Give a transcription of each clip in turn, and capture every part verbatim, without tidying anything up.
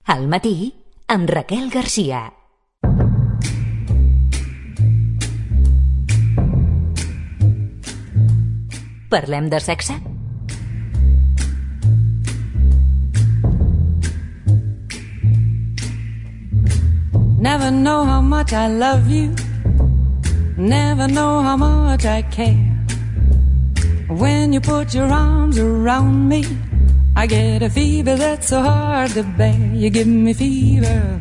Al matí, amb Raquel Garcia. Parlem de sexe? Never know how much I love you. Never know how much I care. When you put your arms around me, I get a fever that's so hard to bear. You give me fever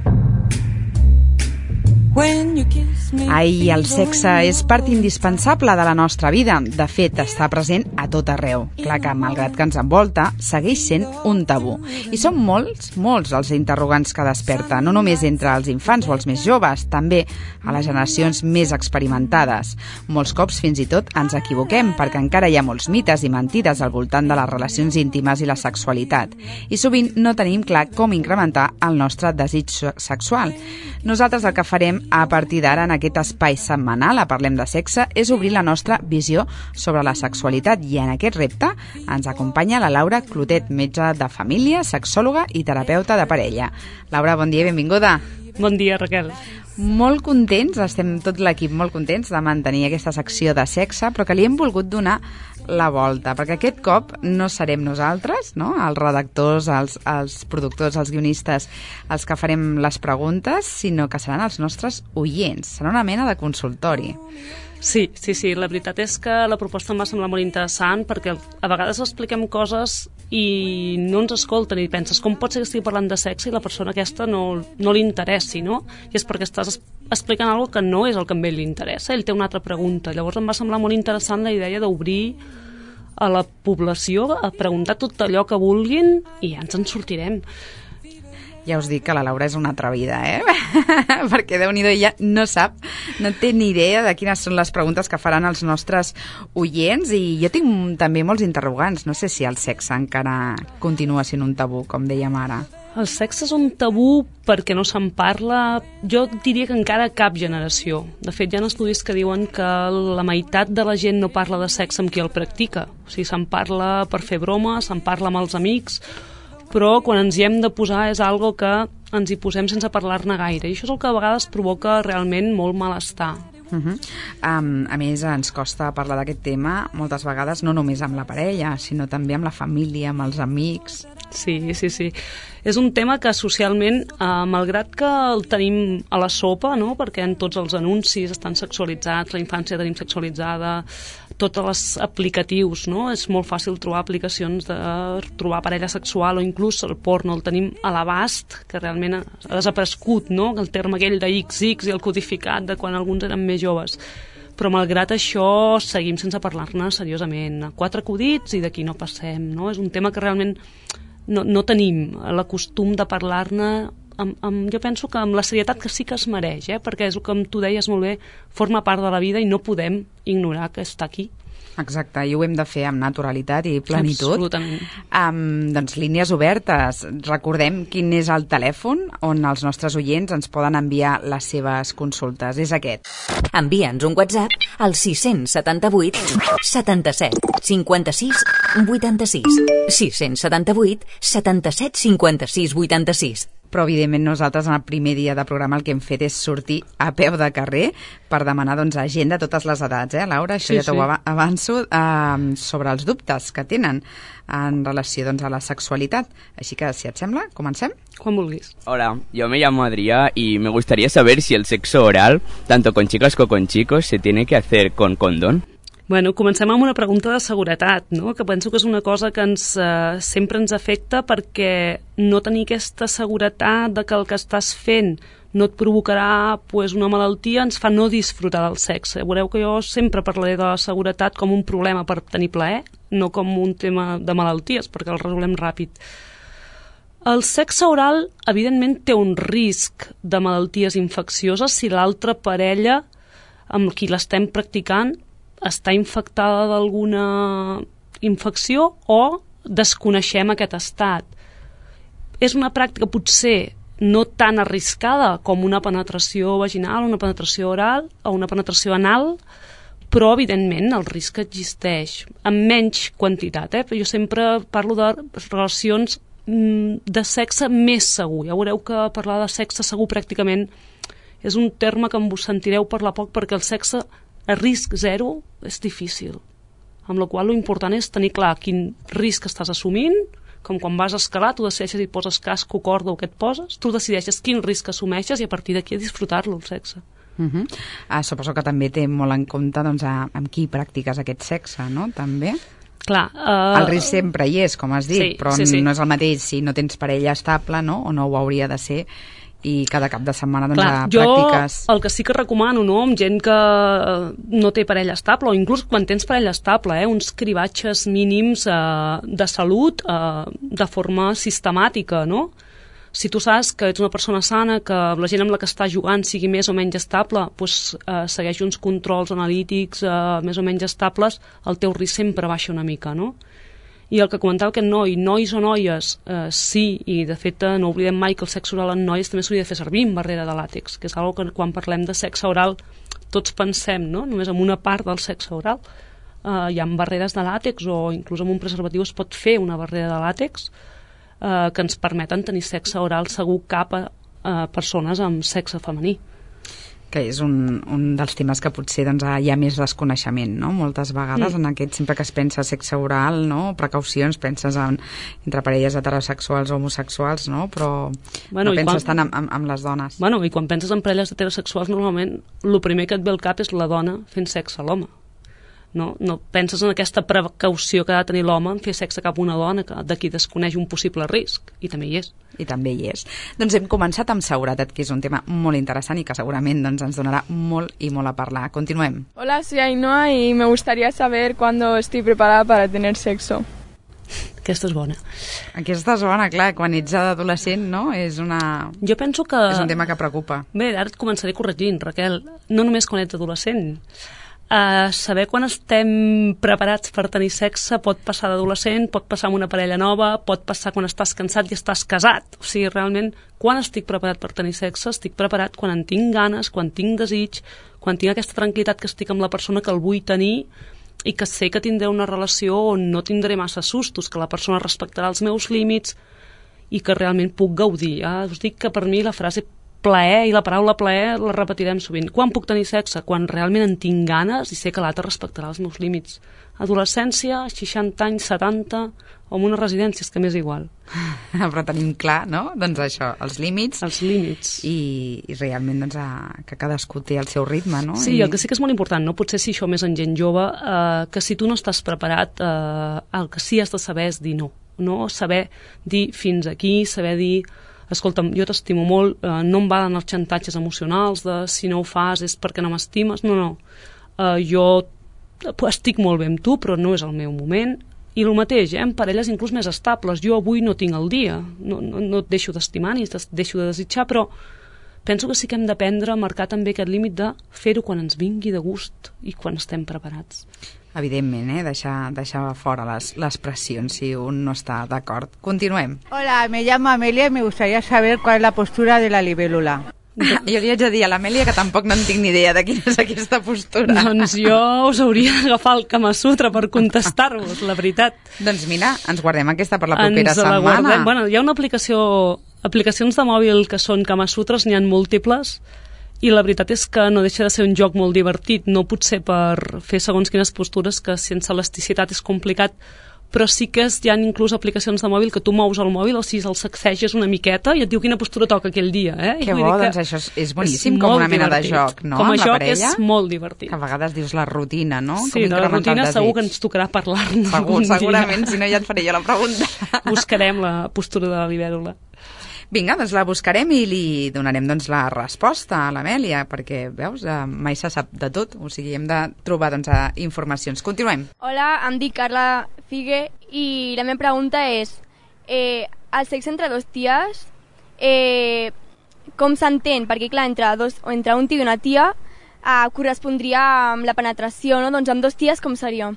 when you kiss me. Ai, el sexe és part indispensable de la nostra vida. De fet, està present a tot arreu. Clar que, malgrat que ens envolta, segueix sent un tabú. I són molts, molts els interrogants que desperta, no només entre els infants o els més joves, també a les generacions més experimentades. Molts cops, fins i tot, ens equivoquem, perquè encara hi ha molts mites i mentides al voltant de les relacions íntimes i la sexualitat. I sovint no tenim clar com incrementar el nostre desig sexual. Nosaltres el que farem a partir d'ara en aquest espai setmanal a Parlem de Sexe és obrir la nostra visió sobre la sexualitat i en aquest repte ens acompanya la Laura Clotet, metge de família, sexòloga i terapeuta de parella. Laura, bon dia i benvinguda. Bon dia, Raquel. Molt contents, estem tot l'equip molt contents de mantenir aquesta secció de sexe, però que li hem volgut donar la volta, perquè aquest cop no serem nosaltres, no? Els redactors, els, els productors, els guionistes, els que farem les preguntes, sinó que seran els nostres oients. Serà una mena de consultori. Sí, sí, sí. La veritat és que la proposta em va semblar molt interessant perquè a vegades expliquem coses i no ens escolten i penses com pot ser que estigui parlant de sexe i la persona aquesta no, no li interessi, no? I és perquè estàs explicant alguna cosa que no és el que a ell li interessa, ell té una altra pregunta. Llavors em va semblar molt interessant la idea d'obrir a la població a preguntar tot allò que vulguin i ja ens en sortirem. Ja us dic que la Laura és una atrevida, eh? Perquè Déu-n'hi-do, ella no sap, no té ni idea de quines són les preguntes que faran els nostres oients i jo tinc també molts interrogants. No sé si el sexe encara continua sent un tabú, com dèiem ara. El sexe és un tabú perquè no se'n parla, jo diria que encara a cap generació. De fet, hi ha estudis que diuen que la meitat de la gent no parla de sexe amb qui el practica. O sigui, se'n parla per fer broma, se'n parla amb els amics, però quan ens hi hem de posar és algo que ens hi posem sense parlar-ne gaire. I això és el que a vegades provoca realment molt malestar. Uh -huh. um, a més, ens costa parlar d'aquest tema moltes vegades, no només amb la parella, sinó també amb la família, amb els amics. Sí, sí, sí. És un tema que socialment, eh, malgrat que el tenim a la sopa, no? Perquè en tots els anuncis estan sexualitzats, la infància tenim sexualitzada, tots els aplicatius, no? És molt fàcil trobar aplicacions de trobar parella sexual o inclús el porno, el tenim a l'abast, que realment ha desaparegut, no? El terme aquell de ics ics i el codificat de quan alguns eren més joves. Però malgrat això seguim sense parlar-ne seriosament. Quatre acudits i d'aquí no passem, no? És un tema que realment no, no tenim l'acostum de parlar-ne amb, amb, jo penso que amb la serietat que sí que es mereix, eh? Perquè és el que tu deies molt bé, forma part de la vida i no podem ignorar que està aquí. Exacte, i ho hem de fer amb naturalitat i plenitud. Absolutament. Um, doncs línies obertes. Recordem quin és el telèfon on els nostres oients ens poden enviar les seves consultes. És aquest. Envia'ns un WhatsApp al sis setanta vuit setanta-set cinquanta-sis vuitanta-sis. sis setanta vuit setanta-set cinquanta-sis vuitanta-sis. Però, evidentment, nosaltres en el primer dia de programa el que hem fet és sortir a peu de carrer per demanar doncs, a gent de totes les edats, eh, Laura? Això sí, ja t'ho sí. avanço, eh, sobre els dubtes que tenen en relació doncs, a la sexualitat. Així que, si et sembla, comencem? Quan vulguis. Hola, yo me llamo Adrià y me gustaría saber si el sexo oral, tanto con chicas como con chicos, se tiene que hacer con condón. Bueno, comencem amb una pregunta de seguretat, no? Que penso que és una cosa que ens, eh, sempre ens afecta perquè no tenir aquesta seguretat de que el que estàs fent no et provocarà pues, una malaltia ens fa no disfrutar del sexe. Veureu que jo sempre parlaré de la seguretat com un problema per tenir plaer, no com un tema de malalties, perquè el resolem ràpid. El sexe oral, evidentment, té un risc de malalties infeccioses si l'altra parella amb qui l'estem practicant està infectada d'alguna infecció o desconeixem aquest estat. És una pràctica potser no tan arriscada com una penetració vaginal, una penetració oral o una penetració anal, però evidentment el risc existeix, amb menys quantitat. Eh? Jo sempre parlo de relacions de sexe més segur. Ja veureu que parlar de sexe segur pràcticament és un terme que em vos sentireu parlar poc, perquè el sexe a risc zero és difícil. Amb la qual cosa l'important és tenir clar quin risc estàs assumint, com quan vas a escalar, tu decideixes si et poses casc o corda o què et poses, tu decideixes quin risc assumeixes i a partir d'aquí a disfrutar-lo, el sexe. Uh -huh. uh, suposo que també té molt en compte doncs, a, amb qui practiques aquest sexe, no? També? Clar, uh... el risc sempre hi és, com has dit, sí, però sí, sí. no és el mateix si no tens parella estable, no? O no ho hauria de ser, i cada cap de setmana doncs, Clar, practiques... Jo el que sí que recomano, no?, amb gent que no té parella estable, o inclús quan tens parella estable, eh, uns cribatges mínims eh, de salut eh, de forma sistemàtica, no? Si tu saps que ets una persona sana, que la gent amb la que està jugant sigui més o menys estable, doncs, eh, segueix uns controls analítics eh, més o menys estables, el teu risc sempre baixa una mica, no? I el que comentava aquest noi, nois o noies, eh, sí, i de fet eh, no oblidem mai que el sexe oral en noies també s'hauria de fer servir en barrera de làtex, que és una que quan parlem de sexe oral tots pensem, no?, només en una part del sexe oral. Eh, hi ha barreres de làtex o inclús amb un preservatiu es pot fer una barrera de làtex eh, que ens permeten tenir sexe oral segur cap a eh, persones amb sexe femení. Que és un, un dels temes que potser doncs, hi ha més desconeixement, no? Moltes vegades mm. en aquest, sempre que es pensa sexe oral, no? Precaucions, penses en, entre parelles heterosexuals o homosexuals, no? Però bueno, no penses quan... tant en, en, en les dones. Bueno, i quan penses en parelles heterosexuals, normalment el primer que et ve al cap és la dona fent sexe a l'home. No? No penses en aquesta precaució que ha de tenir l'home en fer sexe cap a una dona, que de qui desconeix un possible risc, i també hi és. I també hi és. Doncs hem començat amb seguretat, que és un tema molt interessant i que segurament doncs, ens donarà molt i molt a parlar. Continuem. Hola, soy Ainhoa y me gustaría saber cuándo estoy preparada para tener sexo. Aquesta és bona. Aquesta és bona, clar, quan ets adolescent, no? És una... Jo penso que... És un tema que preocupa. Bé, ara et començaré corregint, Raquel. No només quan ets adolescent. Uh, saber quan estem preparats per tenir sexe pot passar d'adolescent, pot passar amb una parella nova, pot passar quan estàs cansat i estàs casat. O sigui, realment, quan estic preparat per tenir sexe? Estic preparat quan en tinc ganes, quan tinc desig, quan tinc aquesta tranquil·litat que estic amb la persona que el vull tenir i que sé que tindré una relació on no tindré massa sustos, que la persona respectarà els meus límits i que realment puc gaudir. Ja us dic que per mi la frase plaer i la paraula plaer la repetirem sovint. Quan puc tenir sexe? Quan realment en tinc ganes i sé que l'altre respectarà els meus límits. Adolescència, seixanta anys, setanta, o en una residència, és que m'és igual. Però tenim clar, no? Doncs això, els límits. Els límits. I, i realment doncs, a, que cadascú té el seu ritme, no? Sí, I... el que sí que és molt important, no? Potser si això més en gent jove, eh, que si tu no estàs preparat, eh, el que sí has de saber és dir no. No? Saber dir fins aquí, saber dir escolta'm, jo t'estimo molt, eh, no em valen els xantatges emocionals de si no ho fas és perquè no m'estimes, no, no. Eh, jo estic molt bé amb tu, però no és el meu moment. I el mateix, eh, amb parelles inclús més estables. Jo avui no tinc el dia, no, no, no et deixo d'estimar ni et deixo de desitjar, però penso que sí que hem d'aprendre a marcar també aquest límit de fer-ho quan ens vingui de gust i quan estem preparats. Evidentment, eh? deixar, deixar fora les, les pressions si un no està d'acord. Continuem. Hola, me llamo Amelia y me gustaría saber cuál es la postura de la libélula. Jo li haig de dir a l'Amèlia que tampoc no en tinc ni idea de quina és aquesta postura. Doncs jo us hauria d'agafar el Kama Sutra per contestar-vos, la veritat. Doncs mira, ens guardem aquesta per la propera ens setmana. La guardem. Bueno, hi ha una aplicació, aplicacions de mòbil que són Kama Sutres, n'hi ha múltiples, i la veritat és que no deixa de ser un joc molt divertit, no potser per fer segons quines postures, que sense elasticitat és complicat, però sí que hi ha inclús aplicacions de mòbil que tu mous el mòbil, o sigui, el sacseges una miqueta i et diu quina postura toca aquell dia. Eh? Que bo, doncs això és, és boníssim, és com una mena divertit. De joc, no? Com a joc parella, és molt divertit. Que a vegades dius la rutina, no? Sí, com de la rutina segur que ens tocarà parlar-ne. Segur, segurament, si no ja et faré jo la pregunta. Buscarem la postura de la libèl·lula. Vinga, doncs la buscarem i li donarem doncs, la resposta a l'Amèlia, perquè, veus, eh, mai se sap de tot, o sigui, hem de trobar doncs, informacions. Continuem. Hola, em dic Carla Figue i la meva pregunta és eh, el sexe entre dos ties eh, com s'entén? Perquè clar, entre, dos, entre un tio i una tia eh, correspondria amb la penetració, no? Doncs amb dos ties com seria?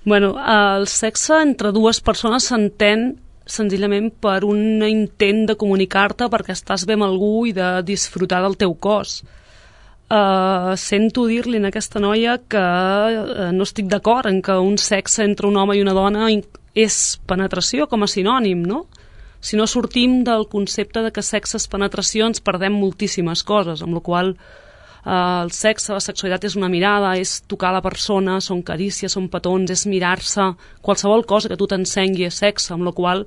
Bueno, el sexe entre dues persones s'entén senzillament per un intent de comunicar-te perquè estàs bé amb algú i de disfrutar del teu cos. Uh, sento dir-li a aquesta noia que uh, no estic d'acord en que un sexe entre un home i una dona és penetració com a sinònim, no? si no sortim del concepte de que sexe és penetració, ens perdem moltíssimes coses, amb la qual eh, el sexe, la sexualitat és una mirada, és tocar la persona, són carícies, són petons, és mirar-se, qualsevol cosa que tu t'ensengui és sexe, amb la qual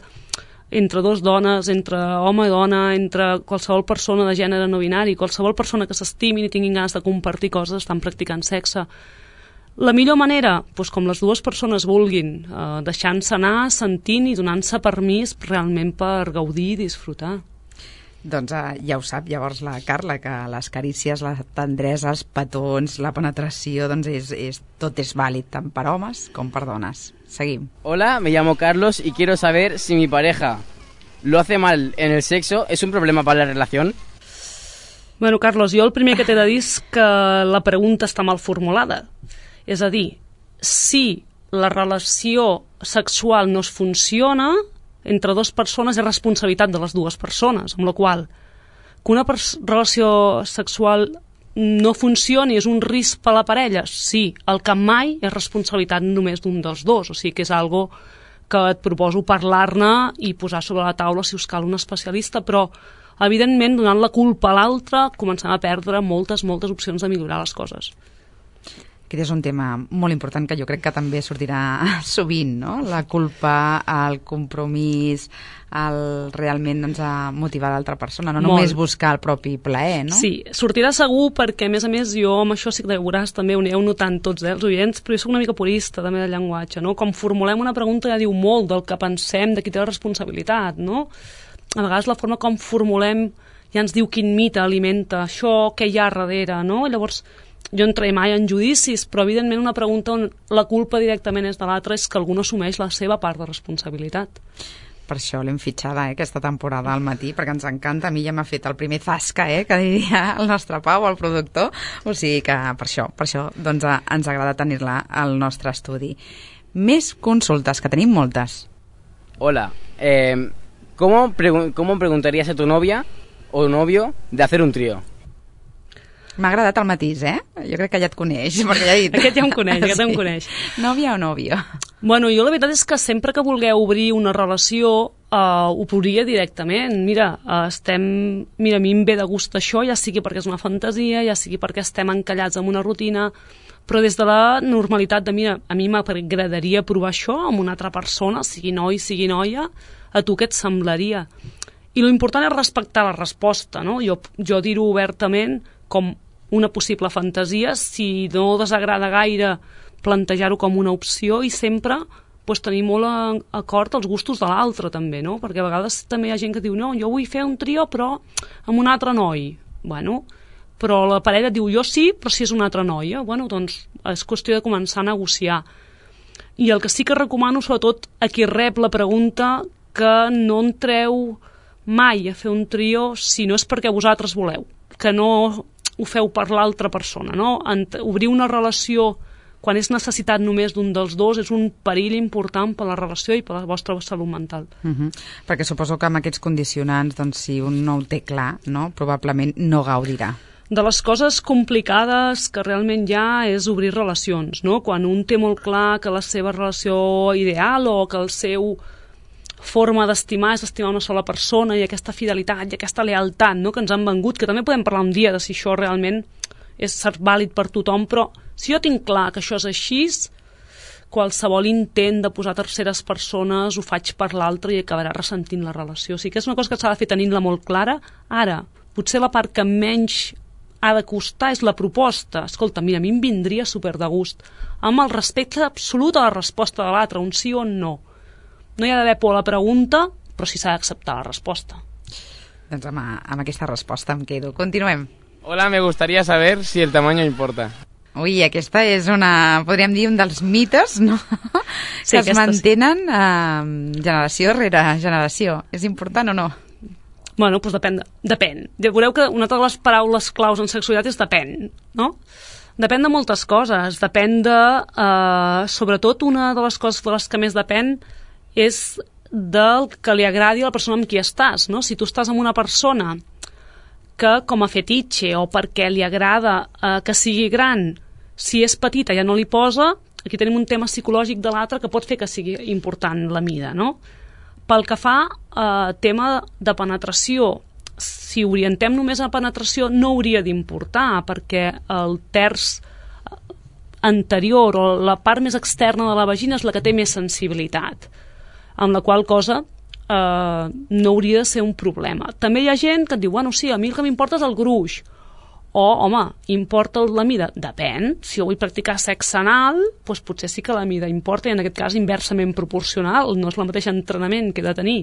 entre dos dones, entre home i dona, entre qualsevol persona de gènere no binari, qualsevol persona que s'estimin i tinguin ganes de compartir coses, estan practicant sexe. La millor manera, doncs com les dues persones vulguin, eh, deixant-se anar, sentint i donant-se permís realment per gaudir i disfrutar. Doncs eh, ja ho sap llavors la Carla, que les carícies, la tendresa, els petons, la penetració, doncs és, és, tot és vàlid, tant per homes com per dones. Seguim. Hola, me llamo Carlos y quiero saber si mi pareja lo hace mal en el sexo, ¿es un problema para la relación? Bueno, Carlos, jo el primer que t'he de dir és que la pregunta està mal formulada. És a dir, si la relació sexual no es funciona entre dues persones és responsabilitat de les dues persones, amb la qual que una relació sexual no funcioni és un risc per a la parella? Sí, el que mai és responsabilitat només d'un dels dos, o sigui que és algo que et proposo parlar-ne i posar sobre la taula si us cal un especialista, però evidentment donant la culpa a l'altre començant a perdre moltes, moltes opcions de millorar les coses. Aquest és un tema molt important que jo crec que també sortirà sovint, no? La culpa, el compromís, el realment doncs, a motivar l'altra persona, no molt. Només buscar el propi plaer, no? Sí, sortirà segur perquè, a més a més, jo amb això sí que veuràs també, ho aneu notant tots, eh, els oients, però jo soc una mica purista també del llenguatge, no? Com formulem una pregunta ja diu molt del que pensem, de qui té la responsabilitat, no? A vegades la forma com formulem ja ens diu quin mite alimenta això, què hi ha darrere, no? Llavors, jo no entraré mai en judicis, però evidentment una pregunta on la culpa directament és de l'altre és que algú no assumeix la seva part de responsabilitat. Per això l'hem fitxada eh, aquesta temporada al matí, perquè ens encanta. A mi ja m'ha fet el primer zasca, eh, que diria el nostre Pau, el productor. O sigui que per això, per això doncs, ens agrada tenir-la al nostre estudi. Més consultes, que tenim moltes. Hola, eh, ¿cómo, pregu- ¿cómo preguntarías a tu novia o novio de hacer un trío? M'ha agradat el matís, eh? Jo crec que ja et coneix, perquè ja he dit... Aquest ja em coneix, aquest sí. em coneix. Nòvia o nòvio? Bueno, jo la veritat és que sempre que vulgueu obrir una relació eh, ho podria directament. Mira, eh, estem... Mira, a mi em ve de gust això, ja sigui perquè és una fantasia, ja sigui perquè estem encallats en una rutina, però des de la normalitat de, mira, a mi m'agradaria provar això amb una altra persona, sigui noi, sigui noia, a tu què et semblaria? I l'important és respectar la resposta, no? Jo, jo dir-ho obertament com una possible fantasia, si no desagrada gaire plantejar-ho com una opció i sempre pues, tenir molt a, a acord els gustos de l'altre també, no? Perquè a vegades també hi ha gent que diu no, jo vull fer un trio però amb un altre noi. Bueno, però la parella diu jo sí, però si és una altra noia. Bueno, doncs és qüestió de començar a negociar. I el que sí que recomano, sobretot a qui rep la pregunta, que no entreu mai a fer un trio si no és perquè vosaltres voleu, que no ho feu per l'altra persona, no? Obrir una relació quan és necessitat només d'un dels dos és un perill important per la relació i per la vostra salut mental. Uh-huh. Perquè suposo que amb aquests condicionants, doncs, si un no ho té clar, no? Probablement no gaudirà. De les coses complicades que realment hi ha és obrir relacions, no? Quan un té molt clar que la seva relació ideal o que el seu forma d'estimar és estimar una sola persona i aquesta fidelitat i aquesta lealtat, no? Que ens han vengut, que també podem parlar un dia de si això realment és vàlid per tothom, però si jo tinc clar que això és així, qualsevol intent de posar terceres persones ho faig per l'altre i acabarà ressentint la relació. O sigui que és una cosa que s'ha de fer tenint-la molt clara. Ara, potser la part que menys ha de costar és la proposta. Escolta, mira, a mi em vindria super de gust, amb el respecte absolut a la resposta de l'altre, un sí o un no. No hi ha d'haver por a la pregunta, però sí s'ha d'acceptar la resposta. Doncs amb, amb aquesta resposta em quedo. Continuem. Hola, me gustaría saber si el tamaño importa. Ui, aquesta és una, podríem dir, un dels mites, no? Sí, que es mantenen sí. eh, generació rere generació. És important o no? Bueno, doncs depèn. Depèn. Veureu que una de les paraules claus en sexualitat és depèn, no? Depèn de moltes coses. Depèn de... Eh, sobretot, una de les coses de les que més depèn és del que li agradi a la persona amb qui estàs, no? Si tu estàs amb una persona que com a fetitxe o perquè li agrada eh, que sigui gran, si és petita ja no li posa, aquí tenim un tema psicològic de l'altre que pot fer que sigui important la mida, no? pel que fa a tema de penetració, si orientem només a penetració no hauria d'importar, perquè el terç anterior o la part més externa de la vagina és la que té més sensibilitat, amb la qual cosa eh, no hauria de ser un problema. També hi ha gent que et diu, bueno, sí, a mi el que m'importa és el gruix, o, home, importa la mida? Depèn. Si jo vull practicar sexe anal, doncs potser sí que la mida importa, i en aquest cas inversament proporcional. No és el mateix entrenament que he de tenir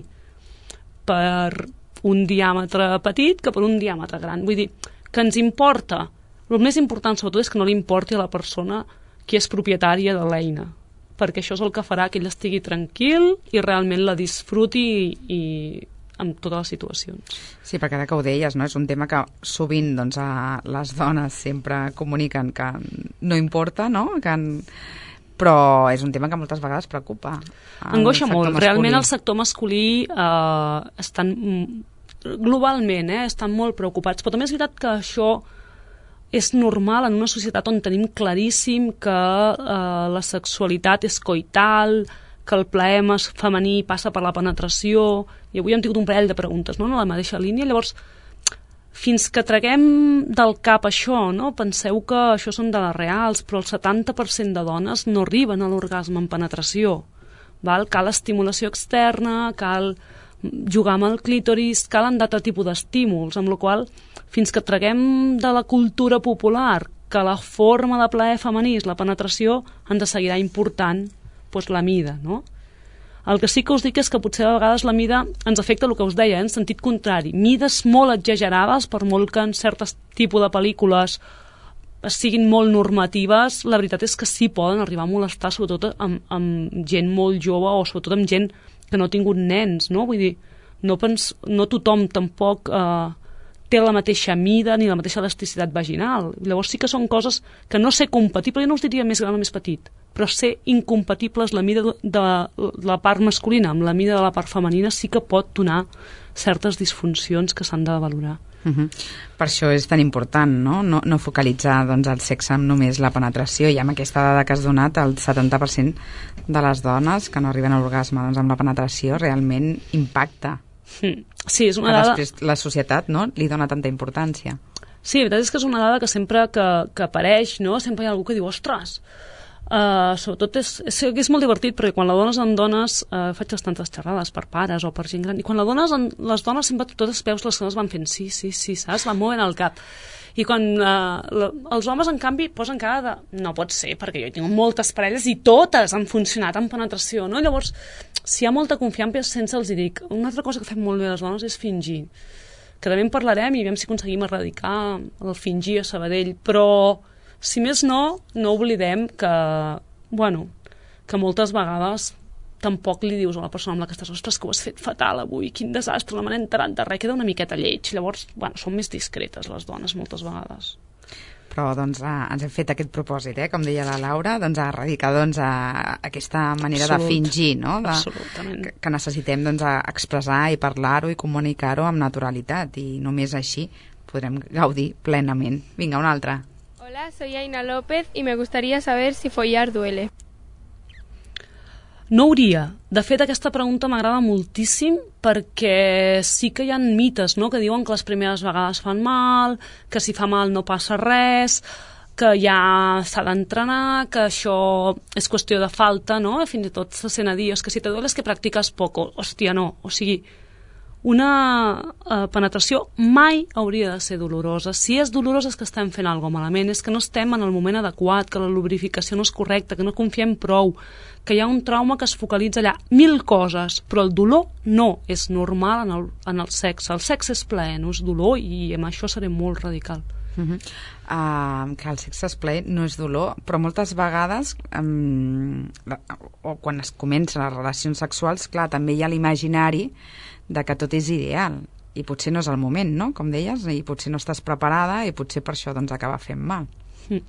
per un diàmetre petit que per un diàmetre gran. Vull dir, que ens importa. El més important, sobretot, és que no li importi a la persona qui és propietària de l'eina, perquè això és el que farà que ell estigui tranquil i realment la disfruti i, i en totes les situacions. Sí, perquè ara que ho deies, no? És un tema que sovint doncs, a les dones sempre comuniquen que no importa, no? Que en... però és un tema que moltes vegades preocupa. Angoixa molt. Masculí. Realment el sector masculí eh, estan globalment eh, estan molt preocupats, però també és veritat que això és normal en una societat on tenim claríssim que eh, la sexualitat és coital, que el plaer femení passa per la penetració, i avui hem tingut un parell de preguntes, no?, en la mateixa línia. Llavors, fins que traguem del cap això, no?, penseu que això són dades reals, però el setanta per cent de dones no arriben a l'orgasme en penetració. Val? Cal estimulació externa, cal jugar amb el clítoris, calen d'altre tipus d'estímuls, amb la qual fins que traguem de la cultura popular que la forma de plaer femení és la penetració, ens seguirà important doncs, la mida, no? El que sí que us dic és que potser a vegades la mida ens afecta el que us deia, eh, en sentit contrari. Mides molt exagerades, per molt que en certs tipus de pel·lícules siguin molt normatives, la veritat és que sí poden arribar a molestar, sobretot amb, amb gent molt jove o sobretot amb gent que no ha tingut nens, no? Vull dir, no, pens, no tothom tampoc eh, té la mateixa mida ni la mateixa elasticitat vaginal. Llavors sí que són coses que no ser compatibles, jo no us diria més gran o més petit, però ser incompatibles la mida de la part masculina amb la mida de la part femenina sí que pot donar certes disfuncions que s'han de valorar. Uh-huh. Per això és tan important, no? No, no focalitzar doncs, el sexe amb només la penetració, i amb aquesta dada que has donat, el setanta per cent de les dones que no arriben a l'orgasme doncs, amb la penetració realment impacta. Sí, és una que dada... després la societat, no?, li dona tanta importància. Sí, la veritat és que és una dada que sempre que, que apareix, no?, sempre hi ha algú que diu, ostres, Uh, sobretot és, és, és molt divertit, perquè quan la dones en dones uh, faig bastantes xerrades per pares o per gent gran, i quan la dones en, les dones sempre totes veus les dones van fent sí, sí, sí, saps? Van movent el cap, i quan uh, la, els homes en canvi posen cara de no pot ser, perquè jo tinc moltes parelles i totes han funcionat en penetració, no? Llavors, si hi ha molta confiança sense els hi dic, una altra cosa que fem molt bé les dones és fingir, que també en parlarem i veiem si aconseguim erradicar el fingir a Sabadell, però si més no, no oblidem que, bueno, que moltes vegades tampoc li dius a la persona amb la que estàs, ostres, que ho has fet fatal avui, quin desastre, no me n'he enterat de res, queda una miqueta lleig. Llavors, bueno, són més discretes les dones moltes vegades. Però doncs eh, ens hem fet aquest propòsit, eh, com deia la Laura, doncs a erradicar doncs, a, a aquesta manera Absolut. de fingir, no? De, Absolutament. Que, que necessitem doncs, a expressar i parlar-ho i comunicar-ho amb naturalitat, i només així podrem gaudir plenament. Vinga, una altra. Hola, soy Aina López y me gustaría saber si follar duele. No hauria. De fet, aquesta pregunta m'agrada moltíssim perquè sí que hi ha mites, no?, que diuen que les primeres vegades fan mal, que si fa mal no passa res, que ja s'ha d'entrenar, que això és qüestió de falta, no? Fins i tot se sent a dir, és que si te duele és que practiques poco. Hòstia, no. O sigui, una eh, penetració mai hauria de ser dolorosa. Si és dolorosa és que estem fent alguna cosa malament, és que no estem en el moment adequat, que la lubrificació no és correcta, que no confiem prou, que hi ha un trauma que es focalitza allà. Mil coses, però el dolor no és normal en el, en el sexe. El sexe és plaer, no és dolor, i amb això seré molt radical. Uh-huh. Uh, que el sexe és plaer, no és dolor, però moltes vegades um, o quan es comencen les relacions sexuals, clar, també hi ha l'imaginari de que tot és ideal, i potser no és el moment, no?, com deies, i potser no estàs preparada i potser per això doncs acaba fent mal. Mm.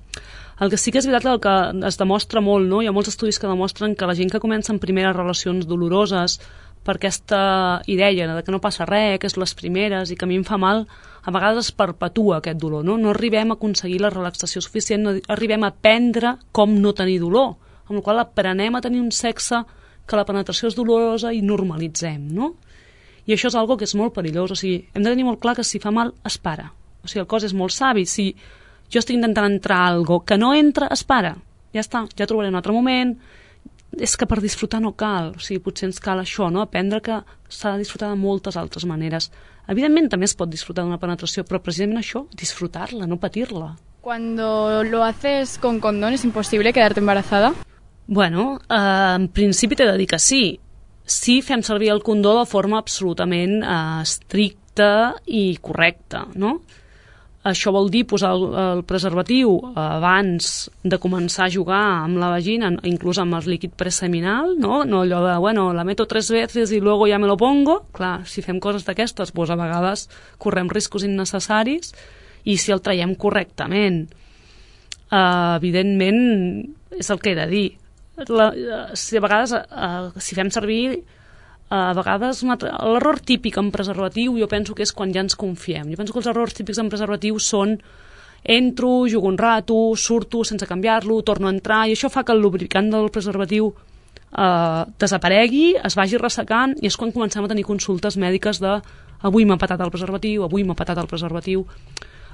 El que sí que és veritat, el que es demostra molt, no?, hi ha molts estudis que demostren que la gent que comença en primeres relacions doloroses per aquesta idea de que no passa res, que és les primeres i que a mi em fa mal, a vegades es perpetua aquest dolor, no? No arribem a aconseguir la relaxació suficient, no arribem a aprendre com no tenir dolor, amb la qual cosa aprenem a tenir un sexe que la penetració és dolorosa i normalitzem, no? I això és algo que és molt perillós, o sigui, hem de tenir molt clar que si fa mal, es para. O sigui, el cos és molt savi, si jo estic intentant entrar a algo que no entra, es para. Ja està, ja trobaré un altre moment. És que per disfrutar no cal, o sigui, potser ens cal això, no? Aprendre que s'ha de disfrutar de moltes altres maneres. Evidentment també es pot disfrutar d'una penetració, però precisament això, disfrutar-la, no patir-la. Cuando lo haces con condón, ¿es imposible quedarte embarazada? Bueno, eh, en principi t'he de dir que sí. Sí fem servir el condó de forma absolutament eh, estricta i correcta, no? Això vol dir posar el, el preservatiu abans de començar a jugar amb la vagina, inclús amb el líquid preseminal, no? No allò de, bueno, la meto tres veces i luego ya me lo pongo. Clar, si fem coses d'aquestes, doncs a vegades correm riscos innecessaris, i si el traiem correctament. Uh, evidentment, és el que he de dir. La, si a vegades, uh, si fem servir, uh, a vegades l'error típic en preservatiu jo penso que és quan ja ens confiem. Jo penso que els errors típics en preservatiu són entro, jugo un rato, surto sense canviar-lo, torno a entrar, i això fa que el lubricant del preservatiu uh, desaparegui, es vagi ressecant, i és quan comencem a tenir consultes mèdiques de avui m'ha patat el preservatiu, avui m'ha patat el preservatiu.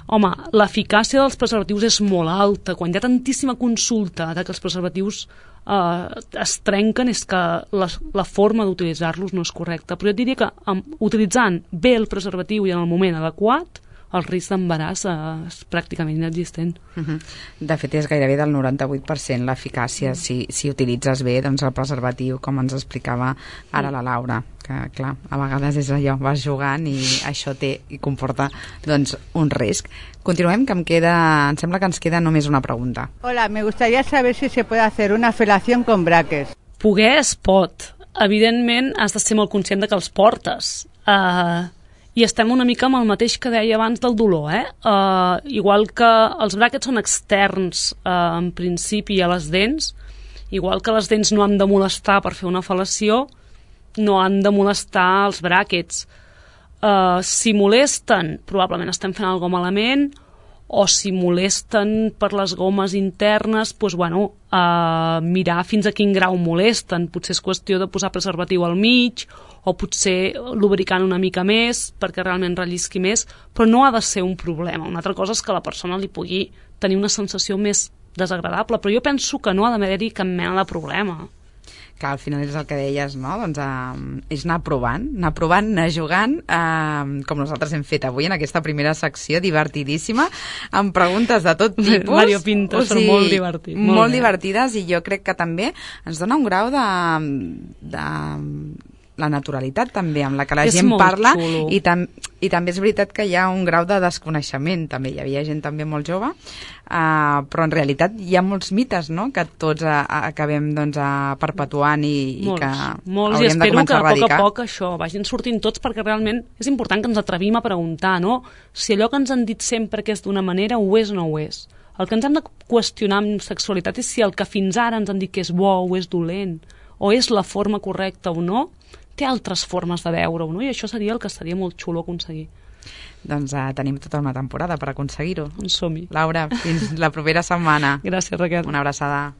Home, l'eficàcia dels preservatius és molt alta. Quan hi ha tantíssima consulta de que els preservatius eh, es trenquen, és que la, la forma d'utilitzar-los no és correcta. Però jo diria que um, utilitzant bé el preservatiu i en el moment adequat, el risc d'embaràs eh, és pràcticament inexistent. Uh-huh. De fet, és gairebé del noranta-vuit per cent l'eficàcia mm. si, si utilitzes bé doncs, el preservatiu, com ens explicava ara mm. la Laura, que clar, a vegades és allò, vas jugant i això té i comporta doncs, un risc. Continuem, que em queda, em sembla que ens queda només una pregunta. Hola, me gustaría saber si se puede hacer una felación con braques. Poder es pot. Evidentment, has de ser molt conscient de que els portes. Uh, I estem una mica amb el mateix que deia abans del dolor, eh? Uh, igual que els bràquets són externs uh, en principi a les dents, igual que les dents no han de molestar per fer una fel·lació, no han de molestar els bràquets. Uh, si molesten, probablement estem fent alguna cosa malament, o si molesten per les gomes internes, doncs, bueno, uh, mirar fins a quin grau molesten. Potser és qüestió de posar preservatiu al mig, o potser lubricant una mica més perquè realment rellisqui més, però no ha de ser un problema. Una altra cosa és que la persona li pugui tenir una sensació més desagradable, però jo penso que no ha d'haver-hi cap mena de problema. Clar, al final és el que deies, no? Doncs uh, és anar provant, anar provant, anar jugant, uh, com nosaltres hem fet avui en aquesta primera secció, divertidíssima, amb preguntes de tot tipus. Mario Pinto, o sigui, són molt divertides. Molt, molt divertides, i jo crec que també ens dona un grau de... de la naturalitat també amb la que la és gent parla, i, tam i també és veritat que hi ha un grau de desconeixement, també hi havia gent també molt jove, uh, però en realitat hi ha molts mites, no?, que tots uh, acabem doncs, uh, perpetuant i, molts, i que molts, hauríem de començar a erradicar. I espero que a poc a poc això vagin sortint tots, perquè realment és important que ens atrevim a preguntar, no?, si allò que ens han dit sempre que és d'una manera ho és o no ho és. El que ens hem de qüestionar amb sexualitat és si el que fins ara ens han dit que és bo o és dolent, o és la forma correcta o no, té altres formes de veure-ho, no? I això seria el que seria molt xulo aconseguir. Doncs uh, tenim tota una temporada per aconseguir-ho. En som-hi. Laura, fins la propera setmana. Gràcies, Raquel. Una abraçada.